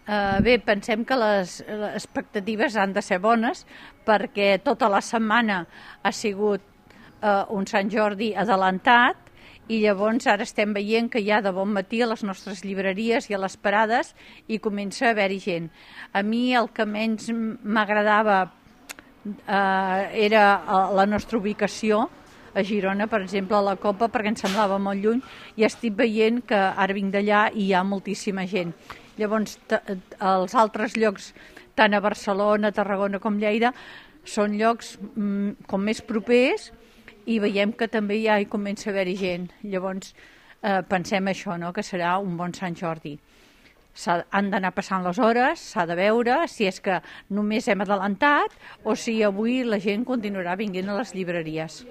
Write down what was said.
Bé, pensem que les expectatives han de ser bones perquè tota la setmana ha sigut un Sant Jordi adelantat i llavors ara estem veient que ja de bon matí a les nostres llibreries i a les parades hi comença a haver-hi gent. A mi el que menys m'agradava era la nostra ubicació a Girona, per exemple, a la Copa, perquè em semblava molt lluny, i estic veient que ara vinc d'allà i hi ha moltíssima gent. Llavors, els altres llocs, tant a Barcelona, Tarragona com Lleida, són llocs com més propers i veiem que també ja hi comença a haver-hi gent. Llavors, pensem això, no?, que serà un bon Sant Jordi. Han d'anar passant les hores, s'ha de veure si és que només hem adelantat o si avui la gent continuarà vinguent a les llibreries.